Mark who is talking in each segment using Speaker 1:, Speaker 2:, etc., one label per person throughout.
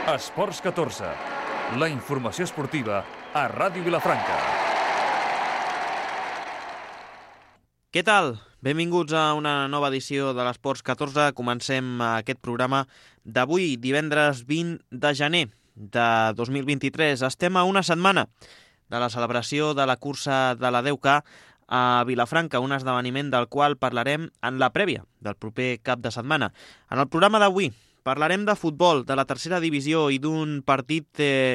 Speaker 1: Esports 14, la informació esportiva a Ràdio Vilafranca.
Speaker 2: Què tal? Benvinguts a una nova edició de l'Esports 14. Comencem aquest programa d'avui, divendres 20 de gener de 2023. Estem a una setmana de la celebració de la cursa de la 10K a Vilafranca, un esdeveniment del qual parlarem en la prèvia del proper cap de setmana. En el programa d'avui parlarem de futbol, de la tercera divisió i d'un partit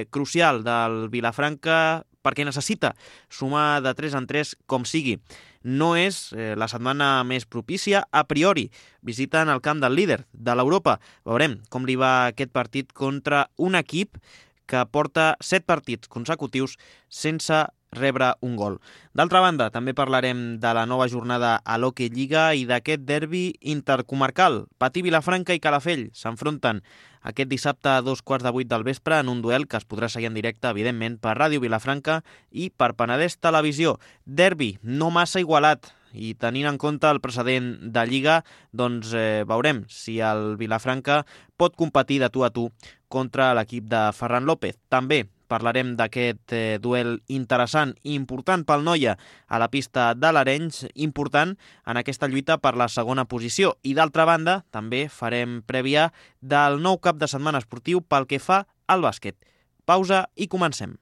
Speaker 2: crucial del Vilafranca perquè necessita sumar de 3 en 3 com sigui. No és la setmana més propícia a priori. Visiten el camp del líder de l'Europa. Veurem com li va aquest partit contra un equip que porta 7 partits consecutius sense rebre un gol. D'altra banda, també parlarem de la nova jornada a l'Hockey Lliga i d'aquest derbi intercomarcal. Patí, Vilafranca i Calafell s'enfronten aquest dissabte a 2:15 del vespre en un duel que es podrà seguir en directe, evidentment, per Ràdio Vilafranca i per Penedès Televisió. Derbi no massa igualat, i tenint en compte el precedent de Lliga, doncs veurem si el Vilafranca pot competir de tu a tu contra l'equip de Ferran López. També parlarem d'aquest duel interessant i important pel Noia a la pista de l'Arenys, important en aquesta lluita per la segona posició. I d'altra banda, també farem prèvia del nou cap de setmana esportiu pel que fa al bàsquet. Pausa i comencem.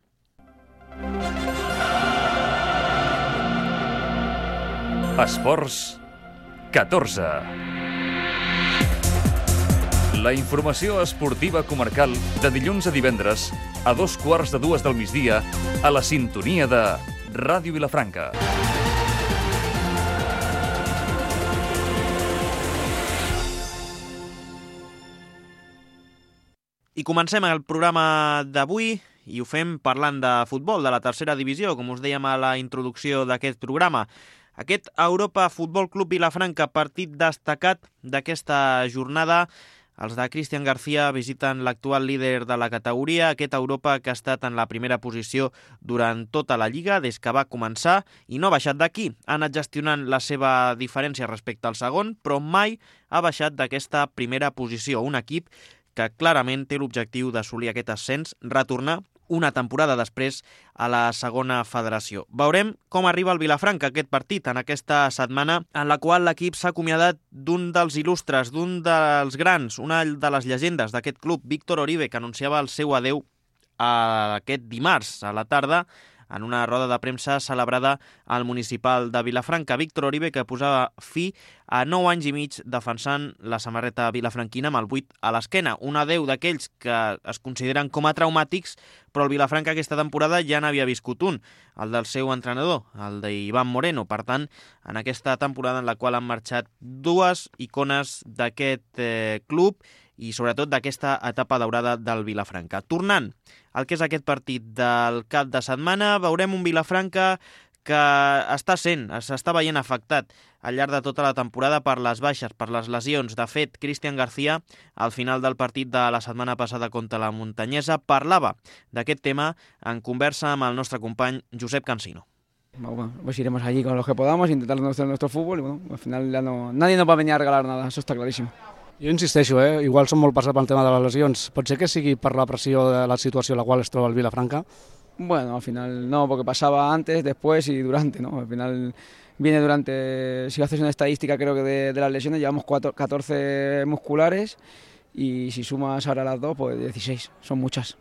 Speaker 1: Esports 14. La informació esportiva comarcal de dilluns a divendres a 2:15 del migdia a la sintonia de Ràdio Vilafranca.
Speaker 2: I comencem el programa d'avui i ho fem parlant de futbol, de la tercera divisió, com us dèiem a la introducció d'aquest programa. Aquest Europa Futbol Club Vilafranca, partit destacat d'aquesta jornada. Els de Cristian García visiten l'actual líder de la categoria, aquest Europa que ha estat en la primera posició durant tota la Lliga des que va començar i no ha baixat d'aquí. Ha anat gestionant la seva diferència respecte al segon, però mai ha baixat d'aquesta primera posició. Un equip que clarament té l'objectiu d'assolir aquest ascens, retornar una temporada després a la segona federació. Veurem com arriba el Vilafranca aquest partit en aquesta setmana en la qual l'equip s'ha acomiadat d'un dels il·lustres, d'un dels grans, una de les llegendes d'aquest club, Víctor Oribe, que anunciava el seu adeu aquest dimarts a la tarda en una roda de premsa celebrada al municipal de Vilafranca. Víctor Oribe, que posava fi a 9 anys i mig defensant la samarreta vilafranquina amb el 8 a l'esquena. Un adeu d'aquells que es consideren com a traumàtics, però el Vilafranca aquesta temporada ja n'havia viscut un, el del seu entrenador, el d'Iván Moreno. Per tant, en aquesta temporada en la qual han marxat dues icones d'aquest club i sobretot d'aquesta etapa daurada del Vilafranca. Tornant al que és aquest partit del cap de setmana, veurem un Vilafranca que s'està veient afectat al llarg de tota la temporada per les baixes, per les lesions. De fet, Cristian García, al final del partit de la setmana passada contra la Muntanyesa, parlava d'aquest tema en conversa amb el nostre company Josep Cansino.
Speaker 3: Bueno, pues iremos allí con los que podamos, intentar nuestro fútbol y bueno, al final ya nadie nos va a venir a regalar nada, eso está clarísimo.
Speaker 4: Jo insisteixo, igual som molt passats pel tema de les lesions. Pot ser que sigui per la pressió de la situació en la qual es troba el Vilafranca?
Speaker 3: Bueno, al final no, porque pasaba antes, después y durante, ¿no? Al final viene durante, si haces una estadística creo que de las lesiones, llevamos 14 musculares y si sumas ahora las dos, pues 16, son muchas.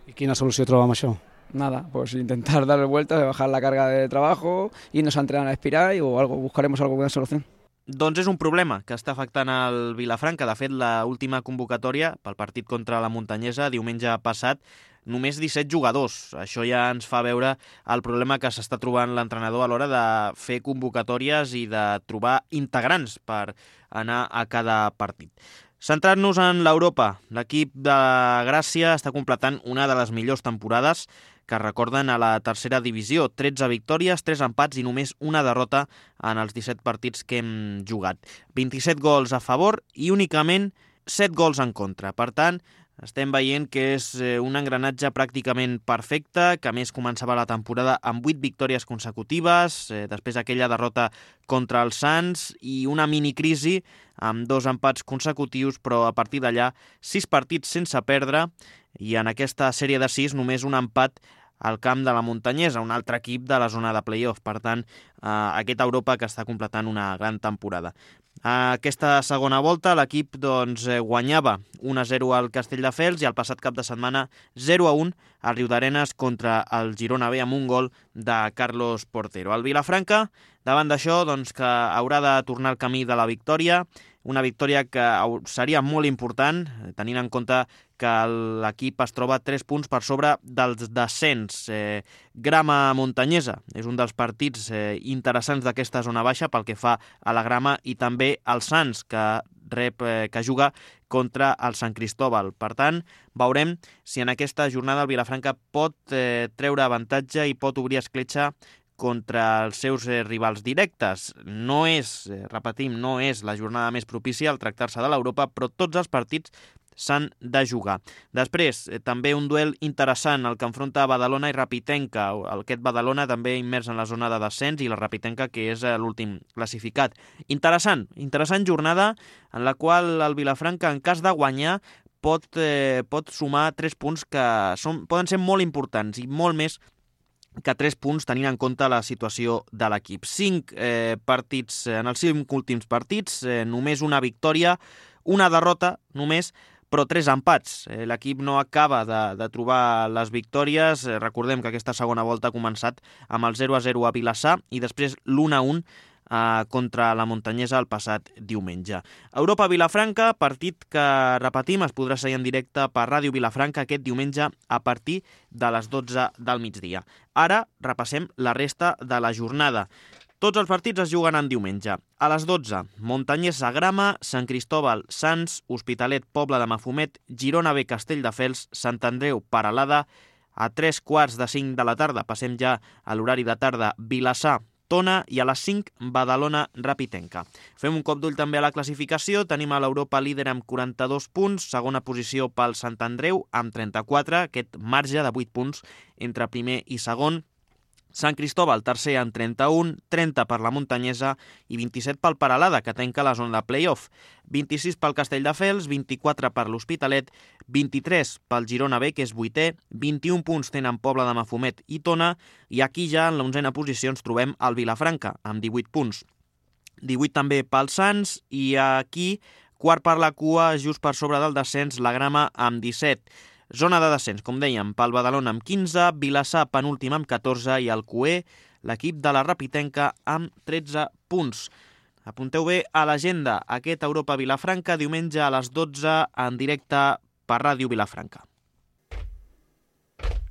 Speaker 4: I quina solució troba amb això?
Speaker 3: Nada, pues intentar darle vueltas, bajar la carga de trabajo, irnos a entrenar a espiral o algo, buscaremos alguna solución.
Speaker 2: Doncs és un problema que està afectant el Vilafranca. De fet, l'última convocatòria pel partit contra la Muntanyesa, diumenge passat, només 17 jugadors. Això ja ens fa veure el problema que s'està trobant l'entrenador a l'hora de fer convocatòries i de trobar integrants per anar a cada partit. Centrant-nos en l'Europa, l'equip de Gràcia està completant una de les millors temporades que recorden a la tercera divisió. 13 victòries, 3 empats i només una derrota en els 17 partits que hem jugat. 27 gols a favor i únicament 7 gols en contra. Per tant, estem veient que és un engranatge pràcticament perfecte, que a més començava la temporada amb 8 victòries consecutives, després aquella derrota contra els Sants i una minicrisi amb 2 empats consecutius, però a partir d'allà 6 partits sense perdre i en aquesta sèrie de 6 només un empat al camp de la Muntanyesa, un altre equip de la zona de play-off. Per tant, aquest Europa que està completant una gran temporada. Aquesta segona volta l'equip guanyava 1-0 al Castelldefels i el passat cap de setmana 0-1 a Riudarenes contra el Girona B amb un gol de Carlos Portero. El Vilafranca, davant d'això, que haurà de tornar al camí de la victòria, una victòria que seria molt important, tenint en compte que l'equip es troba 3 punts per sobre dels descens. Grama Muntanyesa és un dels partits interessants d'aquesta zona baixa pel que fa a la Grama i també el Sants, que juga contra el Sant Cristóbal. Per tant, veurem si en aquesta jornada el Vilafranca pot treure avantatge i pot obrir escletxa contra els seus rivals directes. No és, repetim, no és la jornada més propícia al tractar-se de l'Europa, però tots els partits s'han de jugar. Després, també un duel interessant, el que enfronta Badalona i Rapitenca. Aquest Badalona també immers en la zona de descens i la Rapitenca, que és l'últim classificat. Interessant jornada en la qual el Vilafranca, en cas de guanyar, pot sumar 3 punts que poden ser molt importants i molt més que 3 punts tenint en compte la situació de l'equip. 5 partits, en els 5 últims partits, només una victòria, una derrota només, però 3 empats. L'equip no acaba de trobar les victòries. Recordem que aquesta segona volta ha començat amb el 0-0 a Vilassar i després l'1-1 contra la Muntanyesa el passat diumenge. Europa Vilafranca, partit que, repetim, es podrà seguir en directe per Ràdio Vilafranca aquest diumenge a partir de les 12 del migdia. Ara repassem la resta de la jornada. Tots els partits es juguen en diumenge. A les 12, Muntanyesa Grama, Sant Cristóbal Sants, Hospitalet Pobla de Mafumet, Girona B Castelldefels, Sant Andreu Peralada. A 3:45 de la tarda, passem ja a l'horari de tarda, Vilassar Tona i a les 5 Badalona Rapitenca. Fem un cop d'ull també a la classificació. Tenim a l'Europa líder amb 42 punts, segona posició pel Sant Andreu amb 34, aquest marge de 8 punts entre primer i segon. Sant Cristóbal, tercer amb 31, 30 per la Muntanyesa i 27 pel Peralada, que tanca la zona de play-off. 26 pel Castelldefels, 24 per l'Hospitalet, 23 pel Girona B, que és 8è, 21 punts tenen Pobla de Mafumet i Tona, i aquí ja en la 11a posició ens trobem el Vilafranca, amb 18 punts. 18 també pel Sants, i aquí, quart per la cua, just per sobre del descens, la Grama amb 17. Zona de descens, com dèiem, pel Badalona amb 15, Vilassar penúltim amb 14 i el Cué, l'equip de la Rapitenca, amb 13 punts. Apunteu bé a l'agenda aquest Europa Vilafranca, diumenge a les 12 en directe per Ràdio Vilafranca.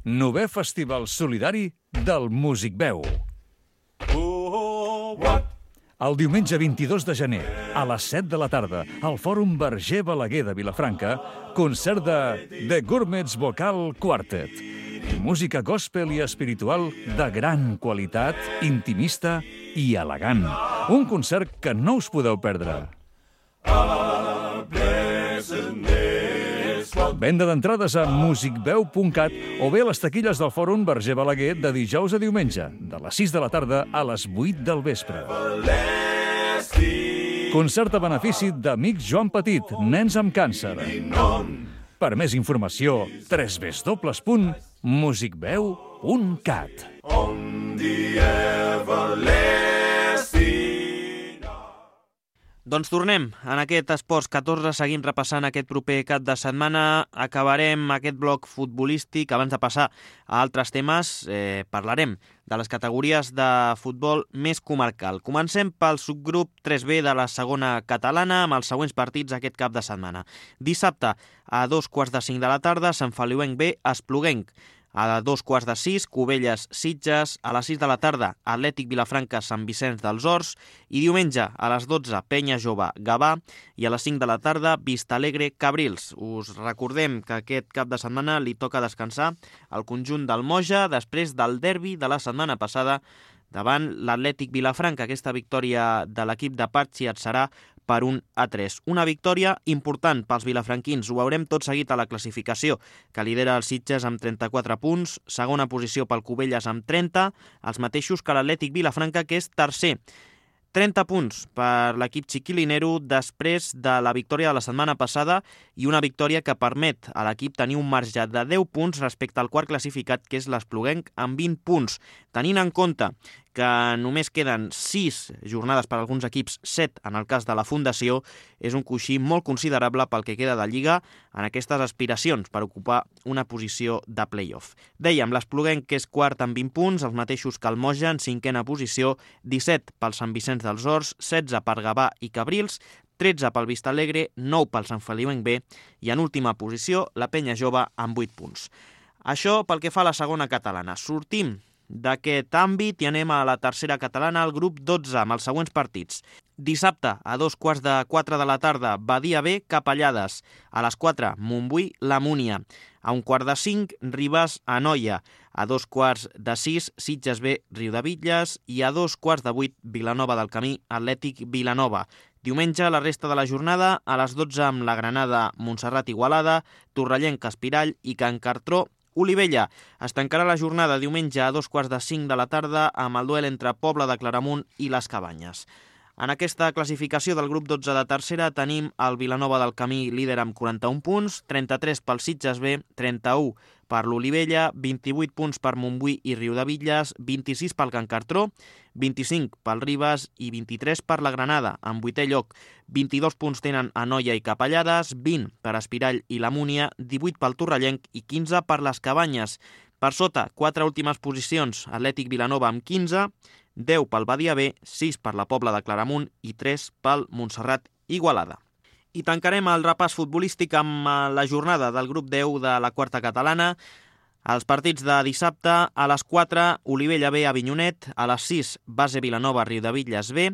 Speaker 1: 9è Festival Solidari del Músic Veu. El diumenge 22 de gener, a les 7 de la tarda, al Fòrum Verger Balaguer de Vilafranca, concert de The Gourmets Vocal Quartet. Música gospel i espiritual de gran qualitat, intimista i elegant. Un concert que no us podeu perdre. Venda d'entrades a musicveu.cat o bé a les taquilles del Fòrum Verger Balaguer de dijous a diumenge, de les 6 de la tarda a les 8 del vespre. Concert a benefici d'Amics Joan Petit, nens amb càncer. Per més informació, www.musicveu.cat.
Speaker 2: Doncs tornem en aquest Esports 14, seguim repassant aquest proper cap de setmana. Acabarem aquest bloc futbolístic. Abans de passar a altres temes, parlarem de les categories de futbol més comarcal. Comencem pel subgrup 3B de la segona catalana amb els següents partits aquest cap de setmana. Dissabte, a 2:45 de la tarda, Sant Feliuenc B, Espluguenc. A 2:15, Cubelles Sitges. A les 6 de la tarda, Atlètic Vilafranca Sant Vicenç dels Horts. I diumenge, a les 12, Penya Jove Gavà. I a les 5 de la tarda, Vistalegre Cabrils. Us recordem que aquest cap de setmana li toca descansar al conjunt del Moja després del derbi de la setmana passada davant l'Atlètic Vilafranca. Aquesta victòria de l'equip de Patxi et serà per 1-3. Una victòria important pels vilafranquins. Ho veurem tot seguit a la classificació, que lidera el Sitges amb 34 punts, segona posició pel Cubelles amb 30, els mateixos que l'Atlètic Vilafranca, que és tercer. 30 punts per l'equip xiquilinero després de la victòria de la setmana passada i una victòria que permet a l'equip tenir un marge de 10 punts respecte al quart classificat, que és l'Espluguenc, amb 20 punts. Tenint en compte que només queden 6 jornades per a alguns equips, 7 en el cas de la Fundació, és un coixí molt considerable pel que queda de Lliga en aquestes aspiracions per ocupar una posició de play-off. Dèiem, l'Espluguenc, que és quart amb 20 punts, els mateixos que el Moja en cinquena posició, 17 pel Sant Vicenç dels Horts, 16 per Gavà i Cabrils, 13 pel Vistalegre, 9 pel Sant Feliuenc B i en última posició la Penya Jove amb 8 punts. Això pel que fa a la segona catalana. Sortim d'aquest àmbit i anem a la tercera catalana, al grup 12, amb els següents partits. Dissabte, a 2:45 de la tarda, Badia B, Capellades. A les 4, Montbui, La Múnia. A 4:45, Ribàs, Anoia. A 5:45, Sitges B, Riudebitlles. I a 7:15, Vilanova del Camí, Atlètic Vilanova. Diumenge, la resta de la jornada, a les 12 amb la Granada, Montserrat Igualada, Torrellenc, Espirall i Can Cartró, Olivella. Es tancarà la jornada diumenge a 4:45 de la tarda amb el duel entre Pobla de Claramunt i les Cabanyes. En aquesta classificació del grup 12 de tercera tenim el Vilanova del Camí líder amb 41 punts, 33 pel Sitges B, 31 per l'Olivella, 28 punts per Montbui i Riudebitlles, 26 pel Can Cartró, 25 pel Ribàs i 23 per la Granada, en 8è lloc. 22 punts tenen Anoia i Capellades, 20 per Espirall i la Múnia, 18 pel Torrellenc i 15 per les Cabanyes. Per sota, 4 últimes posicions, Atlètic Vilanova amb 15, 10 pel Badia B, 6 per la Pobla de Claramunt i 3 pel Montserrat Igualada. I tancarem el repàs futbolístic amb la jornada del grup 10 de la quarta catalana. Els partits de dissabte, a les 4, Olivella B, Avinyonet, a les 6, Base Vilanova, Riudebitlles B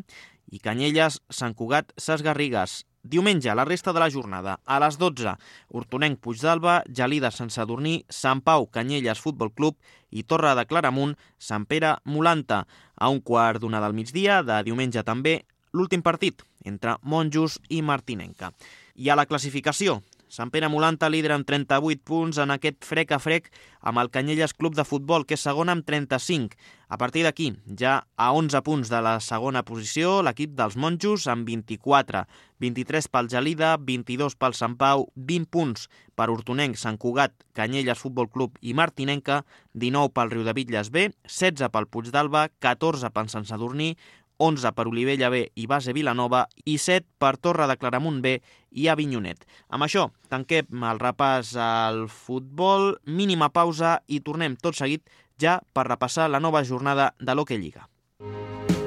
Speaker 2: i Canyelles, Sant Cugat, Ses Garrigues. Diumenge, la resta de la jornada, a les 12, Hortonenc, Puigdàlber, Gelida, Sant Sadurní, Sant Pau, Canyelles, Futbol Club i Torre de Claramunt, Sant Pere, Molanta. A 1:15 del migdia, de diumenge també, l'últim partit entre Monjos i Martinenca. I a la classificació, Sant Pere Molanta líder amb 38 punts en aquest frec a frec amb el Canyelles Club de Futbol, que és segon amb 35. A partir d'aquí, ja a 11 punts de la segona posició, l'equip dels Monjos amb 24. 23 pel Gelida, 22 pel Sant Pau, 20 punts per Hortonenc, Sant Cugat, Canyelles Futbol Club i Martinenca, 19 pel Riudebitlles B, 16 pel Puigdàlber, 14 pel Sant Sadurní, 11 per Olivella B i Base Vilanova i 7 per Torre de Claramunt B i Avinyonet. Amb això tanquem el repàs al futbol, mínima pausa i tornem tot seguit ja per repassar la nova jornada de l'Hockey Lliga.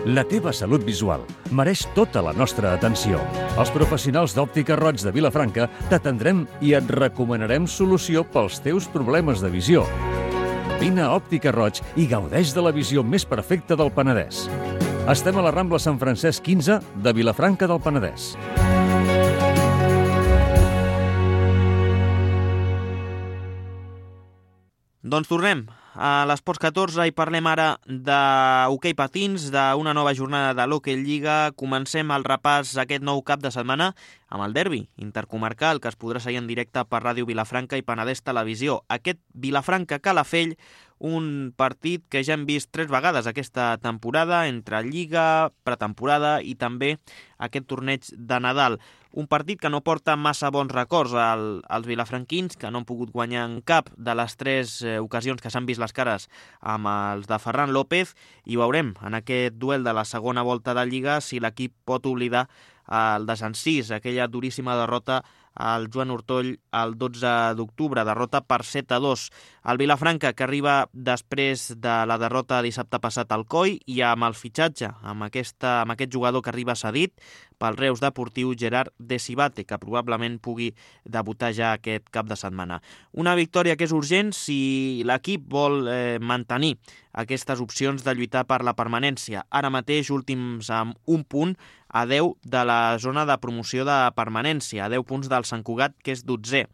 Speaker 1: La teva salut visual mereix tota la nostra atenció. Els professionals d'Òptica Roig de Vilafranca t'atendrem i et recomanarem solució pels teus problemes de visió. Vine a Òptica Roig i gaudeix de la visió més perfecta del Penedès. Estem a la Rambla Sant Francesc 15 de Vilafranca del Penedès.
Speaker 2: Doncs tornem a l'Esports 14 i parlem ara d'hoquei patins, d'una nova jornada de l'Hockey Lliga. Comencem el repàs aquest nou cap de setmana amb el derbi intercomarcal que es podrà seguir en directe per Ràdio Vilafranca i Penedès Televisió. Aquest Vilafranca-Calafell, un partit que ja hem vist 3 vegades aquesta temporada, entre Lliga, pretemporada i també aquest torneig de Nadal. Un partit que no porta massa bons records als vilafranquins, que no han pogut guanyar en cap de les 3 ocasions que s'han vist les cares amb els de Ferran López, i veurem en aquest duel de la segona volta de Lliga si l'equip pot oblidar el desencís, aquella duríssima derrota al Joan Ortoll el 12 d'octubre, derrota per 7-2. El Vilafranca, que arriba després de la derrota dissabte passat al COI i amb el fitxatge, amb aquest jugador que arriba cedit pel Reus Deportiu, Gerard Desibate, que probablement pugui debutar ja aquest cap de setmana. Una victòria que és urgent si l'equip vol mantenir aquestes opcions de lluitar per la permanència. Ara mateix últims amb un punt a 10 de la zona de promoció de permanència, a 10 punts del Sant Cugat, que és 12è.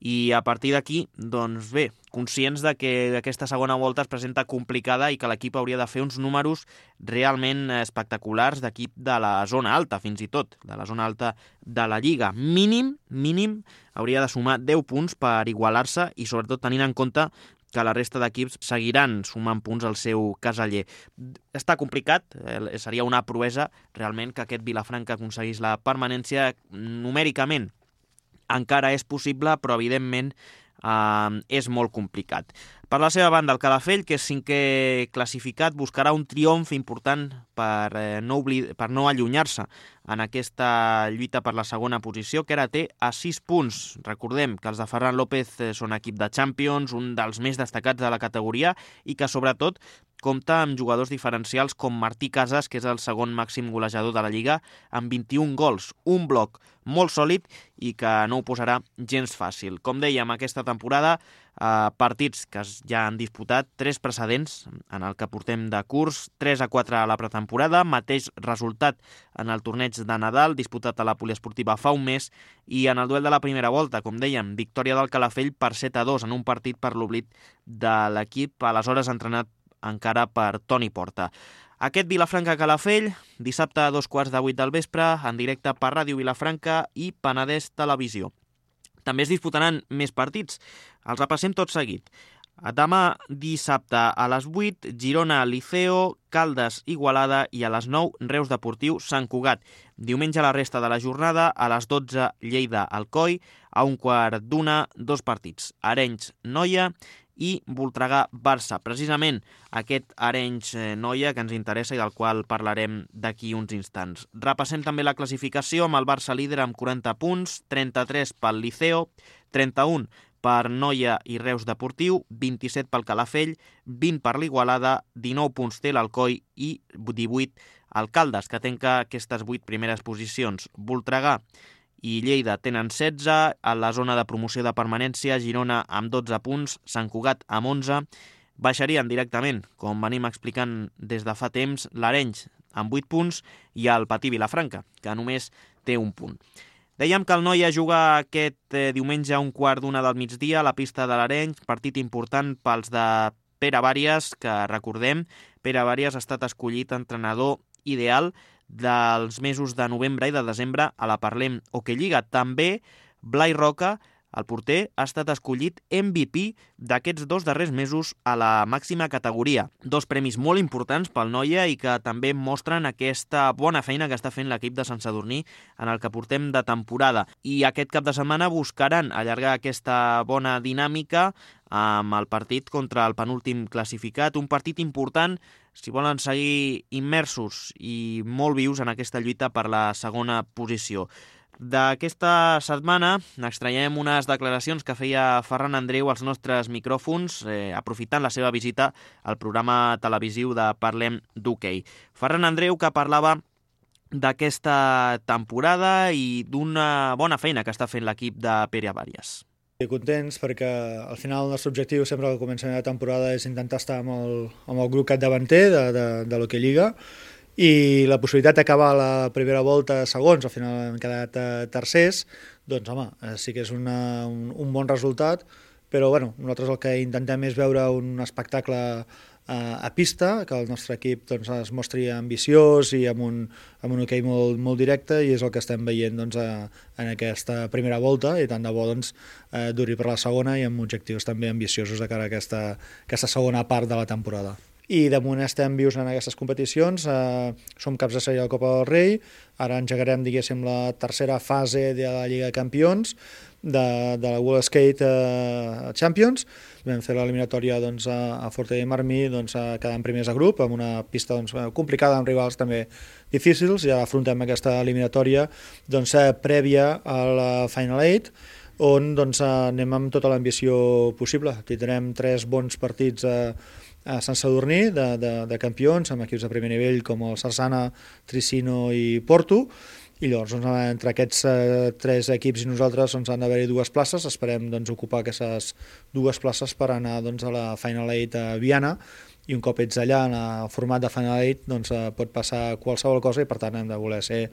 Speaker 2: I a partir d'aquí, doncs bé, conscients de que aquesta segona volta es presenta complicada i que l'equip hauria de fer uns números realment espectaculars d'equip de la zona alta, fins i tot, de la zona alta de la Lliga. Mínim, hauria de sumar 10 punts per igualar-se i sobretot tenint en compte que la resta d'equips seguiran sumant punts al seu caseller. Està complicat, seria una proesa realment que aquest Vilafranca aconseguís la permanència numèricament. Encara és possible, però evidentment és molt complicat. Per la seva banda, el Calafell, que és 5è classificat, buscarà un triomf important per no allunyar-se en aquesta lluita per la segona posició, que ara té a 6 punts. Recordem que els de Ferran López són equip de Champions, un dels més destacats de la categoria, i que sobretot compta amb jugadors diferencials com Martí Casas, que és el segon màxim golejador de la Lliga, amb 21 gols, un bloc molt sòlid i que no ho posarà gens fàcil. Com dèiem, aquesta temporada, partits que ja han disputat, 3 precedents en el que portem de curs, 3-4 a la pretemporada, mateix resultat en el torneig de Nadal, disputat a la Poliesportiva fa un mes, i en el duel de la primera volta, com dèiem, victòria del Calafell per 7-2 en un partit per l'oblit de l'equip, aleshores entrenat encara per Toni Porta. Aquest Vilafranca-Calafell, dissabte a 7:15 del vespre, en directe per Ràdio Vilafranca i Penedès Televisió. També es disputaran més partits. Els repassem tot seguit. Demà dissabte a les 8, Girona-Liceo, Caldes-Igualada i a les 9, Reus Deportiu Sant Cugat. Diumenge la resta de la jornada, a les 12, Lleida-Alcoi, a 1:15, 2 partits. Arenys-Noia i Voltregà-Barça. Precisament aquest Arenys-Noia que ens interessa i del qual parlarem d'aquí uns instants. Repassem també la classificació amb el Barça líder amb 40 punts, 33 pel Liceo, 31 per Noia i Reus Deportiu, 27 pel Calafell, 20 per l'Igualada, 19 punts té l'Alcoi i 18 el Caldes, que tanca aquestes 8 primeres posicions. Voltregà i Lleida tenen 16, a la zona de promoció de permanència, Girona amb 12 punts, Sant Cugat amb 11, baixarien directament, com venim explicant des de fa temps, l'Arenys amb 8 punts i el Patí Vilafranca, que només té 1 punt. Dèiem que el Noia juga aquest diumenge a 1:15 del migdia a la pista de l'Arenys, partit important pels de Pere Vàries, que recordem, Pere Vàries ha estat escollit entrenador ideal dels mesos de novembre i de desembre a la Parlem Hockey Lliga. També Blai Roca, el porter, ha estat escollit MVP d'aquests 2 darrers mesos a la màxima categoria. 2 premis molt importants pel Noia i que també mostren aquesta bona feina que està fent l'equip de Sant Sadurní en el que portem de temporada. I aquest cap de setmana buscaran allargar aquesta bona dinàmica amb el partit contra el penúltim classificat, un partit important si volen seguir immersos i molt vius en aquesta lluita per la segona posició. D'aquesta setmana n'extraiem unes declaracions que feia Ferran Andreu als nostres micròfons, aprofitant la seva visita al programa televisiu de Parlem d'Hockey. Ferran Andreu, que parlava d'aquesta temporada i d'una bona feina que està fent l'equip de Pere Vàries.
Speaker 5: Contents perquè al final el nostre objectiu sempre que comencem la temporada és intentar estar amb el grup capdavanter de l'Hockey Lliga i la possibilitat d'acabar la primera volta segons, al final hem quedat tercers, doncs home, sí que és un bon resultat, però bueno, nosaltres el que intentem és veure un espectacle a pista, que el nostre equip doncs, es mostri ambiciós i amb un hoquei molt directe, i és el que estem veient doncs, en aquesta primera volta, i tant de bo doncs, duri per la segona i amb objectius també ambiciosos de cara a aquesta segona part de la temporada. I de moment estem vius en aquestes competicions, som caps de sèrie de la Copa del Rei, ara engegarem, diguéssim, la tercera fase de la Lliga de Campions, de la World Skate Champions. Vam fer l'eliminatòria doncs, a Forte de Marmí, doncs, quedant primers de grup, amb una pista doncs, complicada, amb rivals també difícils, i ara afrontem aquesta eliminatòria doncs, prèvia a la Final 8, on doncs, anem amb tota l'ambició possible. Tindrem 3 bons partits a Sant Sadurní de campions, amb equips de primer nivell com el Sarsana, Tricino i Porto, i llavors doncs, entre aquests 3 equips i nosaltres doncs, han d'haver-hi 2 places, esperem doncs, ocupar aquestes 2 places per anar doncs, a la Final 8 a Viana, i un cop ets allà en el format de Final 8 doncs, pot passar qualsevol cosa, i per tant hem de voler ser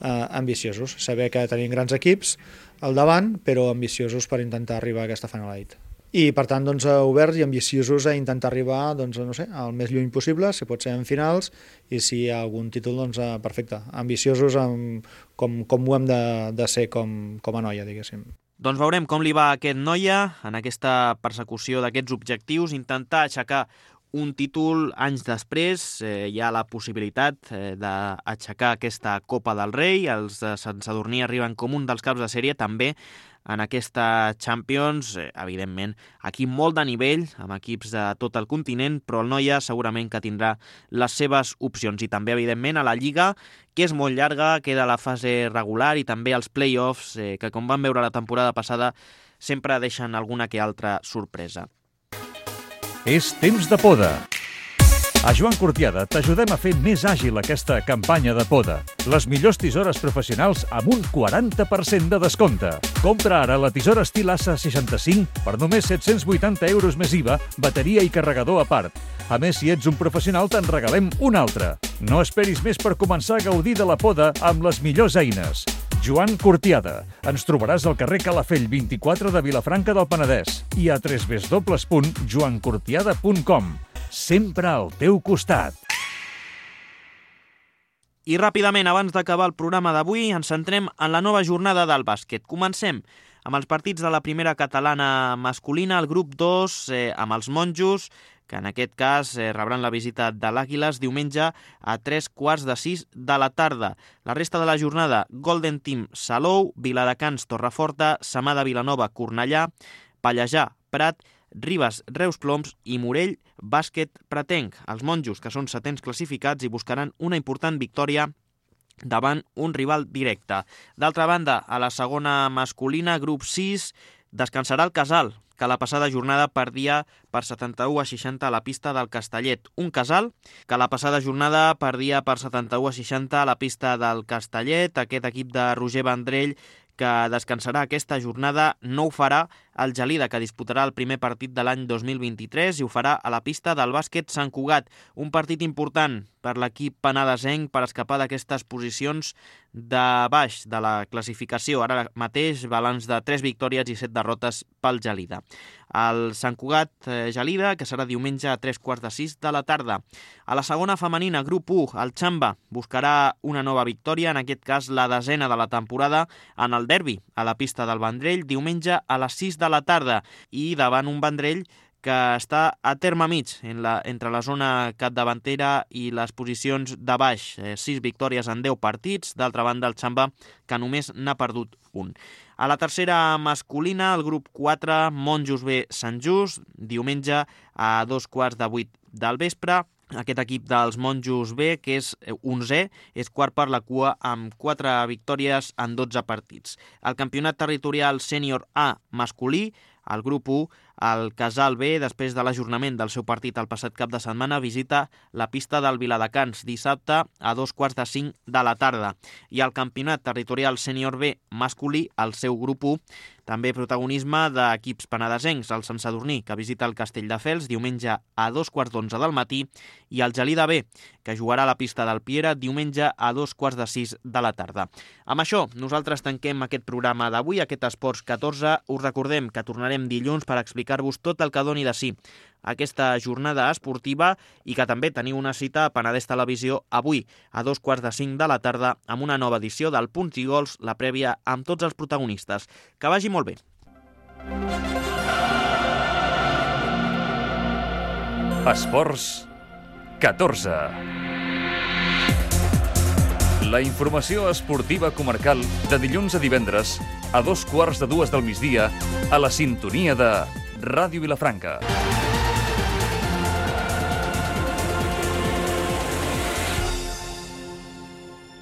Speaker 5: ambiciosos, saber que tenim grans equips al davant, però ambiciosos per intentar arribar a aquesta Final Eight. I per tant oberts i ambiciosos a intentar arribar al més lluny possible, si pot ser en finals, i si hi ha algun títol, perfecte. Ambiciosos com ho hem de ser com a noia, diguéssim.
Speaker 2: Doncs veurem com li va a aquest noia en aquesta persecució d'aquests objectius, intentar aixecar un títol anys després. Hi ha la possibilitat d'aixecar aquesta Copa del Rei. Els de Sant Sadurní arriben com un dels caps de sèrie també en aquesta Champions. Evidentment, aquí molt de nivell, amb equips de tot el continent, però el Noia segurament que tindrà les seves opcions. I també, evidentment, a la Lliga, que és molt llarga, queda la fase regular i també els play-offs, que com vam veure la temporada passada, sempre deixen alguna que altra sorpresa.
Speaker 1: És temps de poda. A Joan Cortiada t'ajudem a fer més àgil aquesta campanya de poda. Les millors tisores professionals amb un 40% de descompte. Compra ara la tisora estil Asa 65 per només 780 euros més IVA, bateria i carregador a part. A més, si ets un professional, te'n regalem una altra. No esperis més per començar a gaudir de la poda amb les millors eines. Joan Cortiada. Ens trobaràs al carrer Calafell 24 de Vilafranca del Penedès i a www.joancortiada.com. Sempre al teu costat.
Speaker 2: I ràpidament, abans d'acabar el programa d'avui, ens centrem en la nova jornada del bàsquet. Comencem amb els partits de la primera catalana masculina, el grup 2, amb els monjos, que en aquest cas rebran la visita de l'Àguiles diumenge a 3:45 de la tarda. La resta de la jornada, Golden Team Salou, Viladecans Torreforta, Samà de Vilanova Cornellà, Pallejà Prat, Ribes Reus Ploms i Morell Bàsquet Pretenc. Els monjos, que són 7ens classificats, i buscaran una important victòria davant un rival directe. D'altra banda, a la segona masculina, grup 6, descansarà el Casal, que la passada jornada perdia per 71-60 a la pista del Castellet. Un Casal que la passada jornada perdia per 71-60 a la pista del Castellet. Aquest equip de Roger Vendrell, que descansarà aquesta jornada, no ho farà el Gelida, que disputarà el primer partit de l'any 2023 i ho farà a la pista del bàsquet Sant Cugat. Un partit important per l'equip penedesenc per escapar d'aquestes posicions de baix de la classificació. Ara mateix balanç de 3 victòries i 7 derrotes pel Gelida. El Sant Cugat Gelida, que serà diumenge a 3:45 de la tarda. A la segona femenina, grup 1, el Xamba buscarà una nova victòria, en aquest cas la 10ª de la temporada, en el derbi a la pista del Vendrell, diumenge a les 6 de la tarda, i davant un Vendrell que està a terme mig entre la zona capdavantera i les posicions de baix. 6 victòries en 10 partits. D'altra banda, el Xamba, que només n'ha perdut un. A la tercera masculina, el grup 4, Monjos B Sant Just, diumenge a 2:15 del vespre. Aquest equip dels Monjos B, que és 11è, és quart per la cua amb 4 victòries en 12 partits. El campionat territorial sènior A masculí, el grup 1, el Casal B, després de l'ajornament del seu partit el passat cap de setmana, visita la pista del Viladecans dissabte a 2:45 de la tarda. I el campionat territorial sènior B masculí, el seu grup 1, també protagonisme d'equips penedesencs, el Sant Sadurní, que visita el Castelldefels diumenge a 2:15 del matí, i el Gelida B, que jugarà a la pista del Piera diumenge a 2:45 de la tarda. Amb això, nosaltres tanquem aquest programa d'avui, aquest Esports 14. Us recordem que tornarem dilluns per explicar-vos tot el que doni de si aquesta jornada esportiva i que també teniu una cita a Penedès Televisió avui a 2:45 de la tarda amb una nova edició del Punts i Gols, la prèvia amb tots els protagonistes. Que vagi molt bé.
Speaker 1: Esports 14. La informació esportiva comarcal de dilluns a divendres a 2:15 del migdia a la sintonia de Ràdio Vilafranca.